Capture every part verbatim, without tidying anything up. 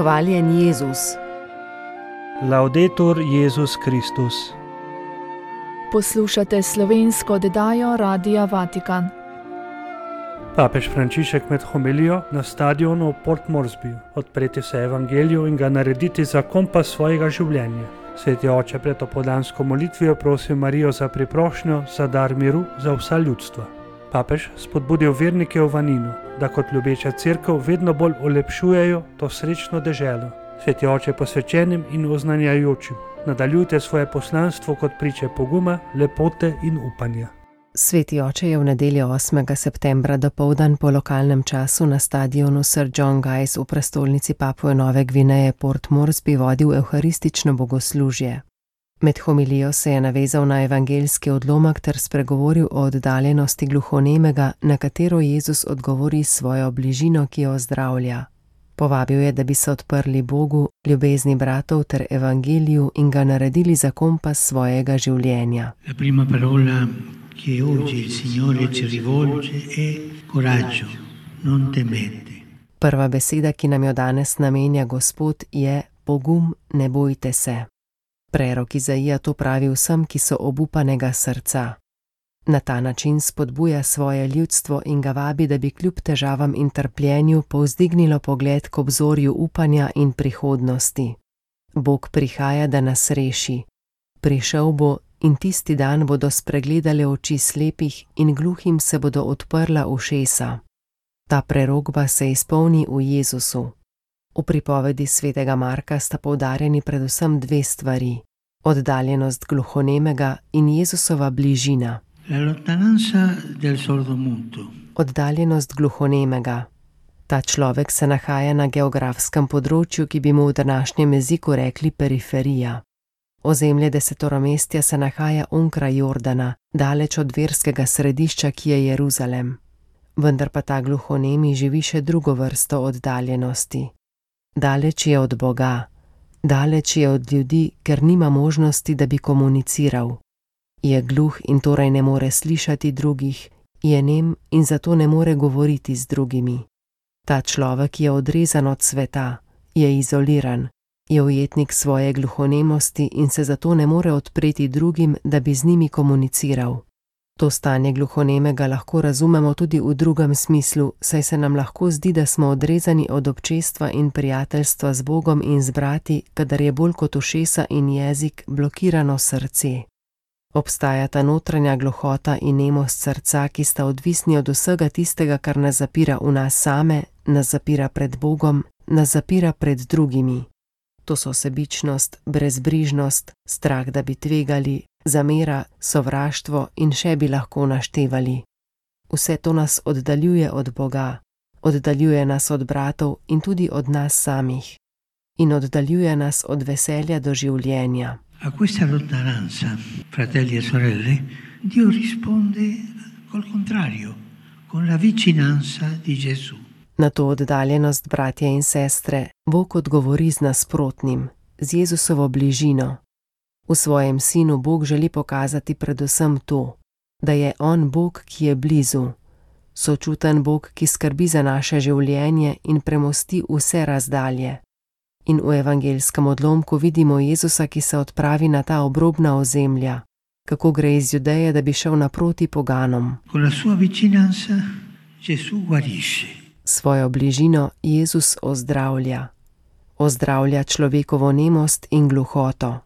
Hvaljen Jezus. Laudetur Jezus Kristus. Poslušate slovensko oddajo Radia Vatikan. Papež Frančišek med homilijo na stadionu v Port Moresbyju odpreti se evangeliju in ga narediti za kompas svojega življenja. Sveti oče pred opoldansko molitvijo prosil Marijo za priprošnjo, za dar miru za vsa ljudstva. Papež spodbudil vernike v Vaninu, da kot ljubeča cerkev vedno bolj olepšujejo to srečno deželo. Sveti oče posvečenim in oznanjajočim, nadaljujte svoje poslanstvo kot priče poguma, lepote in upanja. Sveti oče je v nedeljo osmega septembra dopoldan po lokalnem času na stadionu Sir John Guy's v prestolnici Papue Nove Gvineje Port Moresby vodil evharistično bogoslužje. Med homilijo se je navezal na evangeljski odlomek ter spregovoril o oddaljenosti gluhonemega, na katero Jezus odgovori s svojo bližino, ki jo ozdravlja. Povabil je, da bi se odprli Bogu, ljubezni bratov ter evangeliju in ga naredili za kompas svojega življenja. La prima parola che oggi il Signore ci rivolge è coraggio, non temete. Prva beseda, ki nam jo danes namenja Gospod, je pogum, ne bojte se. Prerok Izaija to pravi vsem, ki so obupanega srca. Na ta način spodbuja svoje ljudstvo in ga vabi, da bi kljub težavam in trpljenju povzdignilo pogled k obzorju upanja in prihodnosti. Bog prihaja, da nas reši. Prišel bo in tisti dan bodo spregledale oči slepih in gluhim se bodo odprla ušesa. Ta prerokba se izpolni v Jezusu. V pripovedi svetega Marka sta poudarjeni predvsem dve stvari: oddaljenost gluhonemega in Jezusova bližina. La lontananza del sordomuto. Oddaljenost gluhonemega. Ta človek se nahaja na geografskem področju, ki bi mu v današnjem jeziku rekli periferija. Ozemlje desetoromestja se nahaja onkraj Jordana, daleč od verskega središča, ki je Jeruzalem. Vendar pa ta gluhonemi živi še drugo vrsto oddaljenosti. Daleč je od Boga, daleč je od ljudi, ker nima možnosti, da bi komuniciral. Je gluh in torej ne more slišati drugih, je nem in zato ne more govoriti z drugimi. Ta človek je odrezan od sveta, je izoliran, je ujetnik svoje gluhonemosti in se zato ne more odpreti drugim, da bi z njimi komuniciral. To stanje gluhonemega lahko razumemo tudi v drugem smislu, saj se nam lahko zdi, da smo odrezani od občestva in prijateljstva z Bogom in z brati, kadar je bolj kot ušesa in jezik blokirano srce. Obstajata notranja gluhota in nemost srca, ki sta odvisni od vsega tistega, kar nas zapira v nas same, nas zapira pred Bogom, nas zapira pred drugimi. To so sebičnost, brezbrižnost, strah, da bi tvegali, zamera, sovraštvo in še bi lahko naštevali. Vse to nas oddaljuje od Boga, oddaljuje nas od bratov in tudi od nas samih. In oddaljuje nas od veselja do življenja. A questa lontananza, fratelli e sorelle, Dio risponde col contrario, con la vicinanza di Gesù. Na to oddaljenost, bratje in sestre, Bog odgovori z nasprotnim, z Jezusovo bližino. V svojem sinu Bog želi pokazati predvsem to, da je on Bog, ki je blizu, sočuten Bog, ki skrbi za naše življenje in premosti vse razdalje. In v evangeljskem odlomku vidimo Jezusa, ki se odpravi na ta obrobna ozemlja, kako gre iz Judeje, da bi šel naproti poganom. Con la sua vicinanza Gesù guarisce. Svojo bližino Jezus ozdravlja. Ozdravlja človekovo nemost in gluhoto.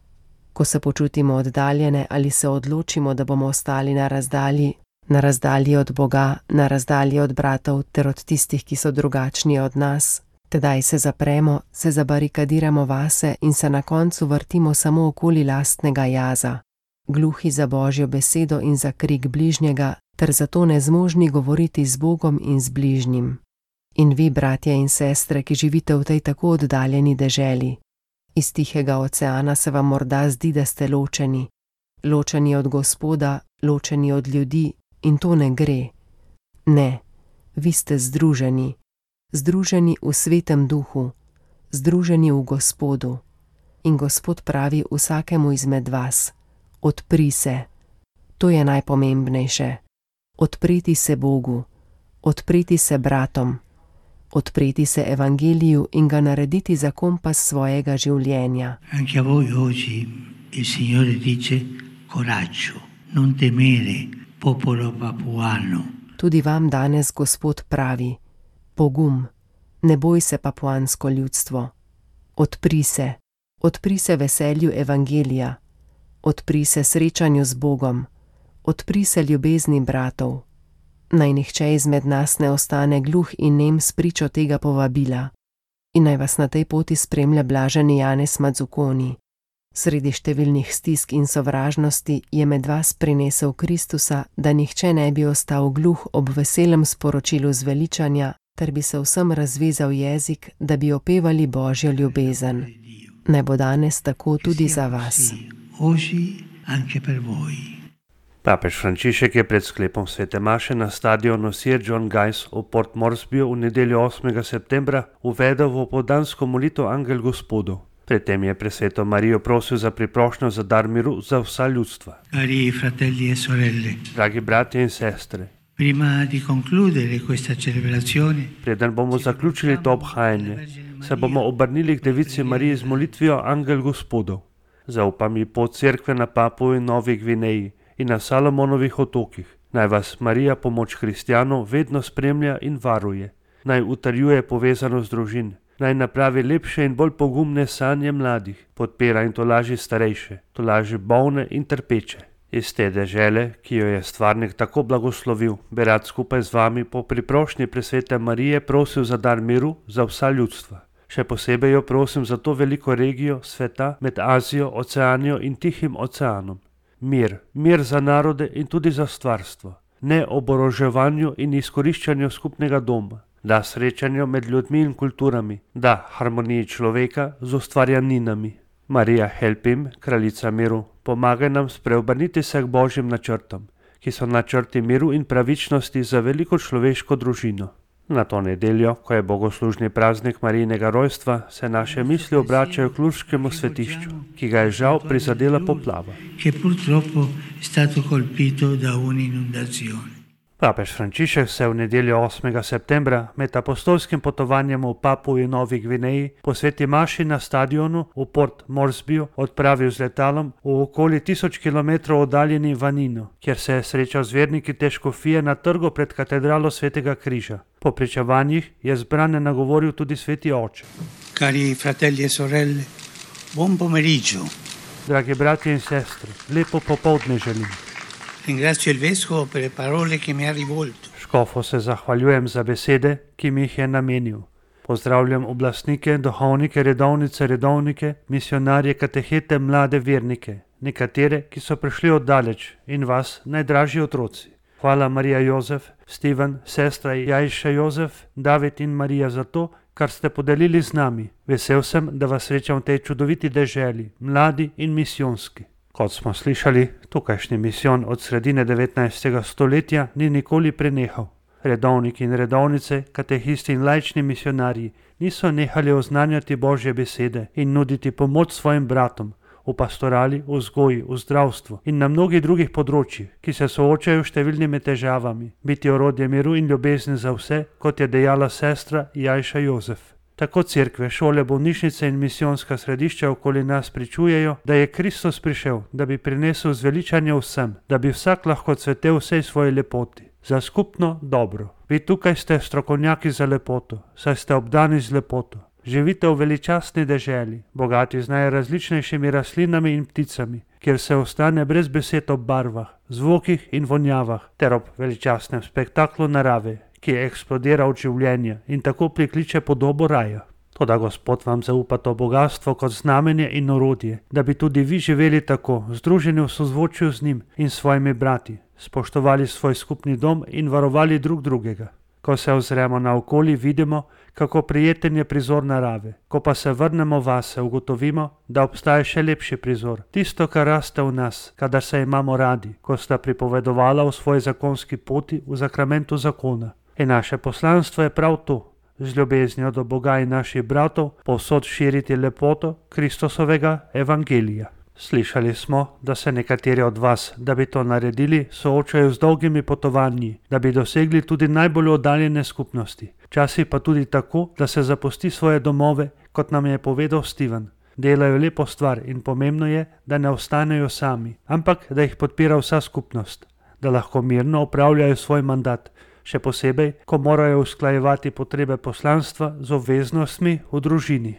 Ko se počutimo oddaljene ali se odločimo, da bomo ostali na razdalji, na razdalji od Boga, na razdalji od bratov ter od tistih, ki so drugačni od nas, tedaj se zapremo, se zabarikadiramo vase in se na koncu vrtimo samo okoli lastnega jaza, gluhi za Božjo besedo in za krik bližnjega, ter zato nezmožni govoriti z Bogom in z bližnjim. In vi, bratje in sestre, ki živite v tej tako oddaljeni deželi, iz Tihega oceana se vam morda zdi, da ste ločeni, ločeni od Gospoda, ločeni od ljudi, in to ne gre. Ne, vi ste združeni, združeni v Svetem Duhu, združeni v Gospodu. In Gospod pravi vsakemu izmed vas: odpri se. To je najpomembnejše. Odpreti se Bogu, odpreti se bratom. odpreti se evangeliju in ga narediti za kompas svojega življenja. Anche a voi oggi il Signore dice coraggio, non temere, popolo papuano. Tudi vam danes Gospod pravi: pogum, ne boj se, papuansko ljudstvo. Odpri se, odpri se veselju evangelija, odpri se srečanju z Bogom, odpri se ljubezni bratov. Naj nihče izmed nas ne ostane gluh in nem spričo tega povabila. In naj vas na tej poti spremlja blaženi Janez Mazzuconi. Sredi številnih stisk in sovražnosti je med vas prinesel Kristusa, da nihče ne bi ostal gluh ob veselem sporočilu zveličanja, ter bi se vsem razvezal jezik, da bi opevali Božjo ljubezen. Naj bo danes tako tudi za vas. Papež Frančišek je pred sklepom svete maše na stadionu Sir John Guy's v Port Moresbyju v nedeljo osmega septembra uvedel v popoldansko molitev Angel Gospodov. Pred tem je presveto Marijo prosil za priprošnjo za dar miru za vsa ljudstva. Cari fratelli e sorelle, Dragi bratje in sestre, prima di concludere questa celebrazione, preden bomo zaključili to obhajanje, se bomo obrnili k Devici Mariji z molitvijo Angel Gospodov. Zaupam ji pot cerkve na Papuji Novi Gvineji in na Salomonovih otokih. Naj vas Marija, pomoč kristjanov, vedno spremlja in varuje. Naj utrjuje povezanost družin. Naj napravi lepše in bolj pogumne sanje mladih, podpira in tolaži starejše, tolaži bolne in trpeče. Iz te dežele, ki jo je stvarnik tako blagoslovil, bi rad skupaj z vami po priprošnji presvete Marije prosil za dar miru za vsa ljudstva. Še posebej jo prosim za to veliko regijo sveta med Azijo, Oceanijo in Tihim oceanom. Mir, mir za narode in tudi za stvarstvo, ne oboroževanju in izkoriščanju skupnega doma, da srečanju med ljudmi in kulturami, da harmoniji človeka z ustvarjaninami. Marija Helpim, kraljica miru, pomagaj nam spreobrniti se k Božjim načrtom, ki so načrti miru in pravičnosti za veliko človeško družino. Na to nedeljo, ko je bogoslužni praznik Marijinega rojstva, se naše misli obračajo k Lurškemu svetišču, ki ga je žal prizadela poplava. Papež Frančišek se v nedeljo osmega septembra med apostolskim potovanjem v Papuji Novi Gvineji po sveti maši na stadionu v Port Moresbyju odpravil z letalom v okoli tisoč kilometrov oddaljeni Vanino, kjer se je srečal z verniki te škofije na trgu pred katedralo Svetega križa. Po pričevanjih je zbrane nagovoril tudi sveti oče. Cari fratelli e sorelle, buon pomeriggio. Dragi bratje in sestre, lepo popoldne želim. Ringrazio il vescovo per le parole che mi ha rivolto. Škofu se zahvaljujem za besede, ki mi jih je namenil. Pozdravljam oblastnike, duhovnike, redovnice, redovnike, misionarje, katehete, mlade vernike, nekatere, ki so prišli oddaleč, in vas, najdražji otroci. Hvala Marija Jozef, Steven, sestra Jajša Jozef, David in Marija za to, kar ste podelili z nami. Vesel sem, da vas srečam v tej čudoviti deželi, mladi in misijonski. Kot smo slišali, tukajšnji misijon od sredine devetnajstega stoletja ni nikoli prenehal. Redovniki in redovnice, katehisti in laični misionarji niso nehali oznanjati Božje besede in nuditi pomoč svojim bratom v pastorali, v vzgoji, v zdravstvu in na mnogih drugih področjih, ki se soočajo s številnimi težavami, biti orodje miru in ljubezni za vse, kot je dejala sestra Jajša Jozef. Tako cerkve, šole, bolnišnice in misijonska središča okoli nas pričujejo, da je Kristus prišel, da bi prinesel zveličanje vsem, da bi vsak lahko cvetel vsej svoji lepoti, za skupno dobro. Vi tukaj ste strokovnjaki za lepoto, saj ste obdani z lepoto. Živite v veličastni deželi, bogati z najrazličnejšimi rastlinami in pticami, kjer se ostane brez besed ob barvah, zvokih in vonjavah, ter ob veličastnem spektaklu narave, ki eksplodira od življenja in tako prikliče podobo raja. Toda Gospod vam zaupa to bogatstvo kot znamenje in orodje, da bi tudi vi živeli tako, združeni v sozvočju z njim in svojimi brati, spoštovali svoj skupni dom in varovali drug drugega. Ko se ozremo naokoli, vidimo, kako prijeten je prizor narave. Ko pa se vrnemo vase, ugotovimo, da obstaja še lepši prizor. Tisto, kar raste v nas, kadar se imamo radi, ko sta pripovedovala o svoji zakonski poti v zakramentu zakona. In naše poslanstvo je prav to, z ljubeznijo do Boga in naših bratov, povsod širiti lepoto Kristusovega evangelija. Slišali smo, da se nekateri od vas, da bi to naredili, soočajo z dolgimi potovanji, da bi dosegli tudi najbolj oddaljene skupnosti, Včasih pa tudi tako, da se zapusti svoje domove, kot nam je povedal Steven. Delajo lepo stvar in pomembno je, da ne ostanejo sami, ampak da jih podpira vsa skupnost, da lahko mirno opravljajo svoj mandat, še posebej, ko morajo usklajevati potrebe poslanstva z obveznostmi v družini.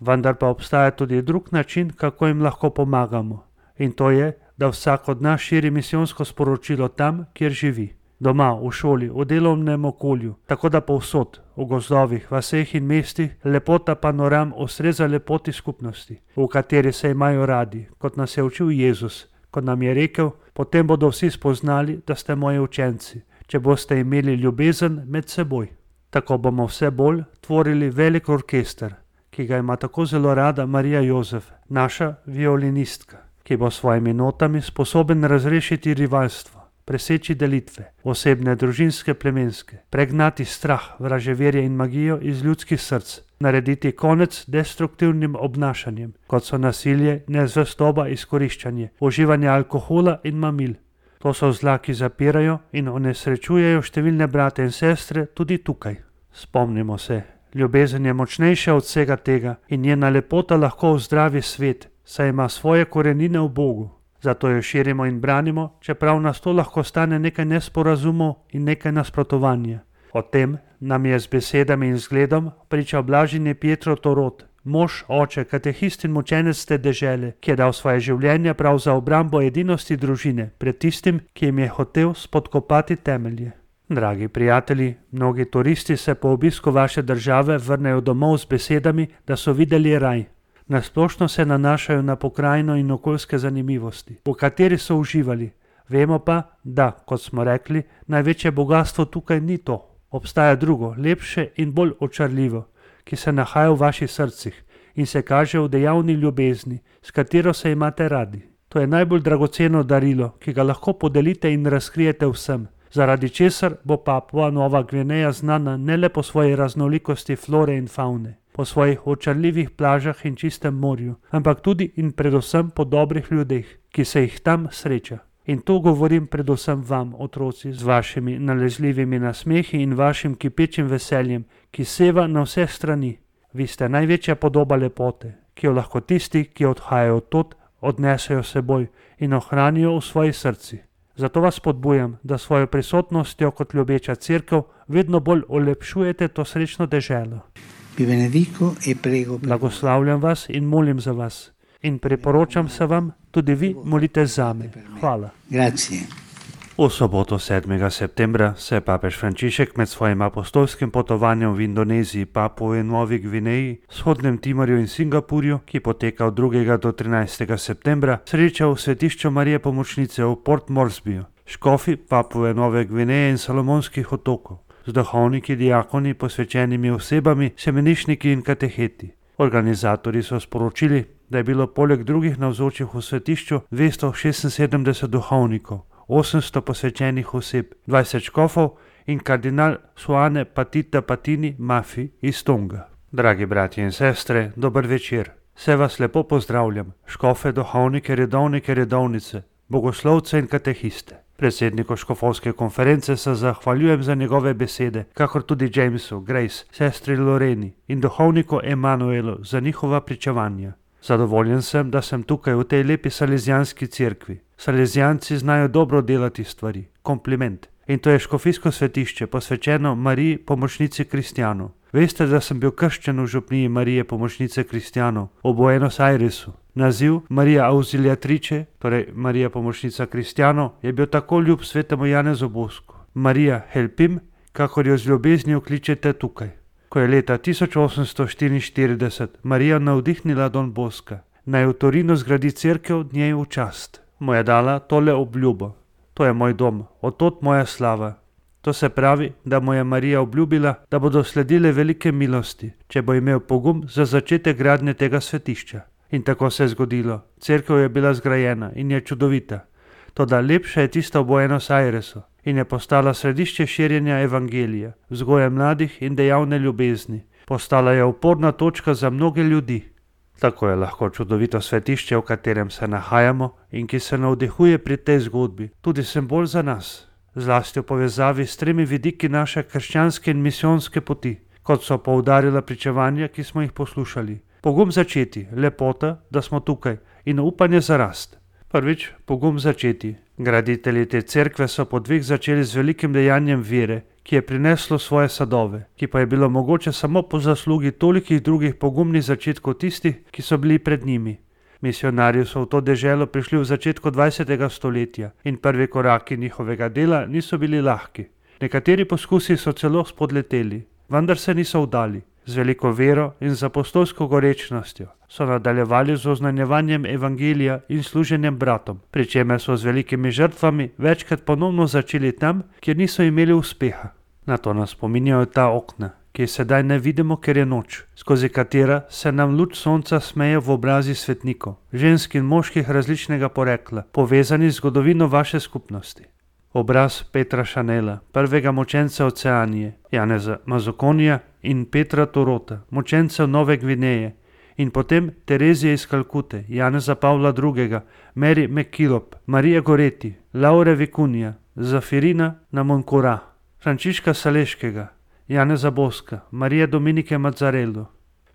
Vendar pa obstaja tudi drug način, kako jim lahko pomagamo. In to je, da vsak od nas širi misijonsko sporočilo tam, kjer živi. Doma, v šoli, v delovnem okolju, tako da povsod, v gozdovih, vaseh in mestih, lepota panoram ustreza lepoti skupnosti, v kateri se imajo radi, kot nas je učil Jezus, kot nam je rekel, potem bodo vsi spoznali, da ste moji učenci, če boste imeli ljubezen med seboj. Tako bomo vse bolj tvorili velik orkester, ki ga ima tako zelo rada Marija Jozef, naša violinistka, ki bo s svojimi notami sposoben razrešiti rivalstvo, preseči delitve, osebne, družinske, plemenske, pregnati strah, vraževerje in magijo iz ljudskih src, narediti konec destruktivnim obnašanjem, kot so nasilje, nezvestoba, izkoriščanje, uživanje alkohola in mamil. To so zla, ki zapirajo in onesrečujejo številne brate in sestre tudi tukaj. Spomnimo se, ljubezen je močnejša od vsega tega in njena lepota lahko ozdravi svet, saj ima svoje korenine v Bogu. Zato jo širimo in branimo, čeprav nas to lahko stane nekaj nesporazumov in nekaj nasprotovanja. O tem nam je z besedami in zgledom pričal blaženi Pietro Torot, mož, oče, katehist in mučenec te dežele, ki je dal svoje življenje prav za obrambo edinosti družine pred tistim, ki jim je hotel spodkopati temelje. Dragi prijatelji, mnogi turisti se po obisku vaše države vrnejo domov z besedami, da so videli raj. Nasplošno se nanašajo na pokrajino in okoljske zanimivosti, v kateri so uživali. Vemo pa, da, kot smo rekli, največje bogastvo tukaj ni to. Obstaja drugo, lepše in bolj očarljivo, ki se nahaja v vaših srcih in se kaže v dejavni ljubezni, s katero se imate radi. To je najbolj dragoceno darilo, ki ga lahko podelite in razkrijete vsem, zaradi česar bo Papua Nova Gvineja znana ne le po svoji raznolikosti flore in favne, po svojih očarljivih plažah in čistem morju, ampak tudi in predvsem po dobrih ljudeh, ki se jih tam sreča. In to govorim predvsem vam, otroci, z vašimi nalezljivimi nasmehi in vašim kipečim veseljem, ki seva na vse strani. Vi ste največja podoba lepote, ki jo lahko tisti, ki odhajajo odtod, odnesejo seboj in ohranijo v svojih srcih. Zato vas spodbujam, da svojo prisotnostjo kot ljubeča cerkev vedno bolj olepšujete to srečno deželo. Blagoslavljam vas in molim za vas. In priporočam se vam, tudi vi molite zame. Hvala. Grazie. V soboto sedmega septembra se je papež Frančišek med svojim apostolskim potovanjem v Indoneziji, Papui Novi Gvineji, Vzhodnem Timorju in Singapurju, ki poteka od drugega do trinajstega septembra, srečal v svetišču Marije Pomočnice v Port Moresbyju, škofi Papue Nove Gvineje in Salomonskih otokov, z duhovniki, diakoni, posvečenimi osebami, semenišniki in kateheti. Organizatorji so sporočili, da je bilo poleg drugih navzočih v svetišču dvesto šestinsedemdeset duhovnikov, osemsto posvečenih oseb, dvajset škofov in kardinal Suane Patita Patini Mafi iz Tonga. Dragi bratje in sestre, dober večer. Vse vas lepo pozdravljam, škofe, duhovnike, redovnike, redovnice, bogoslovce in katehiste. Predsedniku škofovske konference se zahvaljujem za njegove besede, kakor tudi Jamesu, Grace, sestri Loreni in duhovniku Emanuelu za njihova pričevanja. Zadovoljen sem, da sem tukaj v tej lepi salezijanski cerkvi. Salezijanci znajo dobro delati stvari. Kompliment. In to je škofijsko svetišče, posvečeno Mariji Pomočnici kristjanov. Veste, da sem bil krščen v župniji Marije Pomočnice kristjanov v Buenos Airesu. Naziv Marija Auxiliatrice, torej Marija Pomočnica kristjanov, je bil tako ljub svetemu Janezu Bosku. Marija Helpim, kakor jo z ljubeznijo kličete tukaj. Ko je leta tisoč osemsto štiriinštirideset Marija navdihnila Don Boska, naj v Torinu zgradi cerkev njej v čast, mu je dala tole obljubo. To je moj dom, odtod moja slava. To se pravi, da mu je Marija obljubila, da bodo sledile velike milosti, če bo imel pogum za začetek gradnje tega svetišča. In tako se je zgodilo. Cerkev je bila zgrajena in je čudovita. Toda lepša je tista v Buenos Airesu in je postala središče širjenja evangelija, vzgoje mladih in dejavne ljubezni. Postala je oporna točka za mnoge ljudi. Tako je lahko čudovito svetišče, v katerem se nahajamo in ki se navdihuje pri tej zgodbi, tudi simbol za nas. zlasti v povezavi s tremi vidiki naše krščanske in misijonske poti, kot so poudarila pričevanja, ki smo jih poslušali. Pogum začeti, lepota, da smo tukaj, in upanje za rast. Prvič, pogum začeti. Graditelji te cerkve so po dveh začeli z velikim dejanjem vere, ki je prineslo svoje sadove, ki pa je bilo mogoče samo po zaslugi tolikih drugih pogumnih začetkov tistih, ki so bili pred njimi. Misionarji so v to deželo prišli v začetku dvajsetega stoletja in prvi koraki njihovega dela niso bili lahki. Nekateri poskusi so celo spodleteli, vendar se niso vdali. Z veliko vero in z apostolsko gorečnostjo so nadaljevali z oznanjevanjem evangelija in služenjem bratom, pri čemer so z velikimi žrtvami večkrat ponovno začeli tam, kjer niso imeli uspeha. Na to nas spominjajo ta okna, ki sedaj ne vidimo, ker je noč, skozi katera se nam luč sonca smeje v obrazi svetnikov, žensk in moških različnega porekla, povezani z zgodovino vaše skupnosti. Obraz Petra Šanela, prvega močenca Oceanije, Janeza Mazokonija in Petra Torota, močencev Nove Gvineje, in potem Terezije iz Kalkute, Janeza Pavla drugega, Mary McKillop, Marije Goreti, Laure Vikunija, Zafirina Namonkura, Frančiška Saleškega, Janeza Boska, Marije Dominike Mazzarello.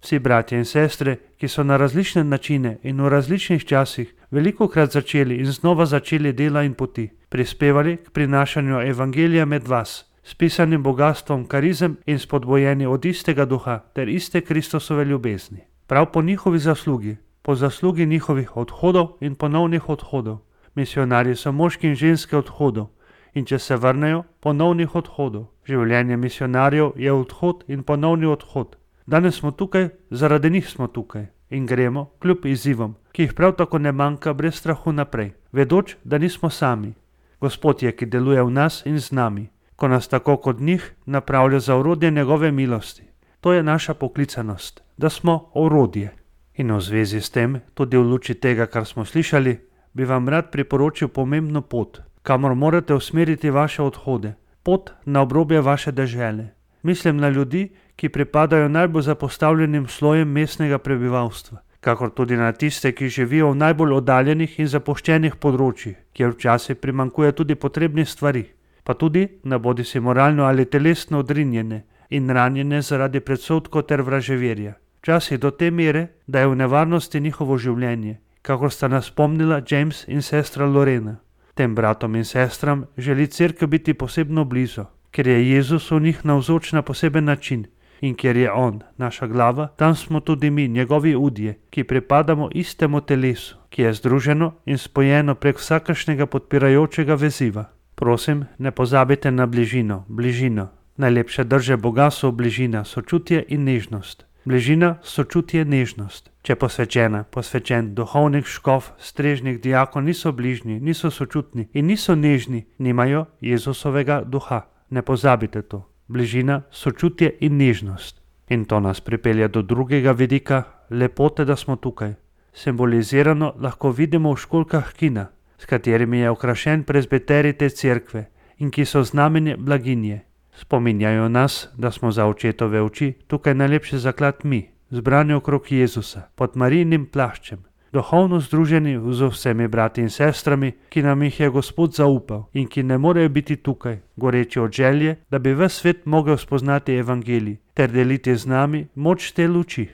Vsi bratje in sestre, ki so na različne načine in v različnih časih velikokrat začeli in znova začeli dela in poti, prispevali k prinašanju evangelija med vas, s pisanim bogastvom karizem in spodbojeni od istega duha ter iste Kristusove ljubezni. Prav po njihovi zaslugi, po zaslugi njihovih odhodov in ponovnih odhodov. Misionarji so moški in ženske odhodov in če se vrnejo, ponovnih odhodov. Življenje misionarjev je odhod in ponovni odhod. Danes smo tukaj, zaradi njih smo tukaj in gremo kljub izzivom, ki jih prav tako ne manjka brez strahu naprej, vedoč, da nismo sami. Gospod je, ki deluje v nas in z nami, ko nas tako kot njih napravlja za orodje njegove milosti. To je naša poklicanost, da smo orodje. In v zvezi s tem, tudi v luči tega, kar smo slišali, bi vam rad priporočil pomembno pot, kamor morate usmeriti vaše odhode, pot na obrobje vaše dežele. Mislim na ljudi, ki pripadajo najbolj zapostavljenim slojem mestnega prebivalstva, kakor tudi na tiste, ki živijo v najbolj oddaljenih in zapuščenih področjih, kjer včasih primanjkuje tudi potrebnih stvari, pa tudi na bodisi moralno ali telesno odrinjene in ranjene zaradi predsodkov ter vraževerja. Včasih do te mere, da je v nevarnosti njihovo življenje, kakor sta nas spomnila James in sestra Lorena. Tem bratom in sestram želi cerkev biti posebno blizu, ker je Jezus v njih navzoč na poseben način in ker je On, naša glava, tam smo tudi mi, njegovi udje, ki pripadamo istemu telesu, ki je združeno in spojeno prek vsakršnega podpirajočega veziva. Prosim, ne pozabite na bližino, bližino. Najlepše drže Boga so bližina, sočutje in nežnost. Bližina, sočutje, nežnost. Če posvečena, posvečen, duhovnik, škof, strežnik, diakon niso bližnji, niso sočutni in niso nežni, nimajo Jezusovega duha. Ne pozabite to. Bližina, sočutje in nežnost. In to nas pripelje do drugega vidika, lepote, da smo tukaj. Simbolizirano lahko vidimo v školjkah kina, s katerimi je okrašen prezbiterij te cerkve in ki so znamenje blaginje. Spominjajo nas, da smo za očetove oči tukaj najlepši zaklad mi, zbrani okrog Jezusa, pod Marijinim plaščem, duhovno združeni z vsemi brati in sestrami, ki nam jih je Gospod zaupal in ki ne morejo biti tukaj, goreči od želje, da bi ves svet mogel spoznati evangelij ter deliti z nami moč te luči.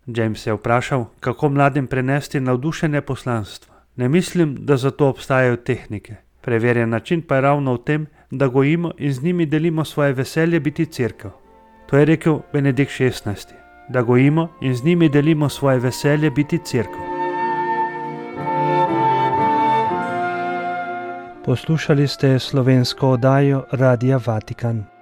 James je vprašal, kako mladim prenesti navdušenje poslanstva. Ne mislim, da za to obstajajo tehnike. Preverjen način pa je ravno v tem, da gojimo in z njimi delimo svoje veselje biti cerkev. To je rekel Benedikt šestnajsti. Da gojimo in z njimi delimo svoje veselje biti cerkev. Poslušali ste slovensko oddajo Radia Vatikan.